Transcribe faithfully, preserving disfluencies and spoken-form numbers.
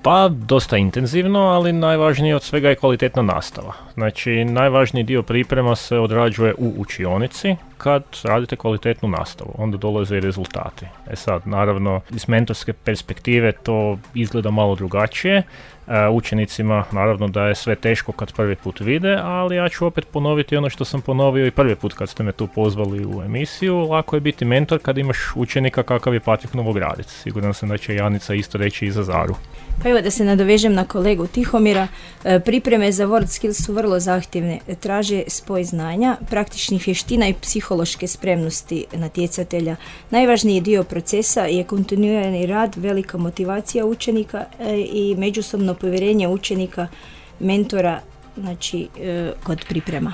Pa, dosta intenzivno, ali najvažnije od svega je kvalitetna nastava. Znači, najvažniji dio priprema se odrađuje u učionici kad radite kvalitetnu nastavu. Onda dolaze i rezultati. E sad, naravno, iz mentorske perspektive to izgleda malo drugačije. E, učenicima, naravno da je sve teško kad prvi put vide, ali ja ću opet ponoviti ono što sam ponovio i prvi put kad ste me tu pozvali u emisiju. Lako je biti mentor kad imaš učenika kakav je Patrik Novogradec. Siguran sam da će Janica isto reći i za Zaru. Pa evo da se nadovežem na kolegu Tihomira, pripreme za WorldSkills su vrlo zahtjevne, traže spoj znanja, praktičnih vještina i psihološke spremnosti natjecatelja. Najvažniji dio procesa je kontinuirani rad, velika motivacija učenika i međusobno povjerenje učenika, mentora, znači kod priprema.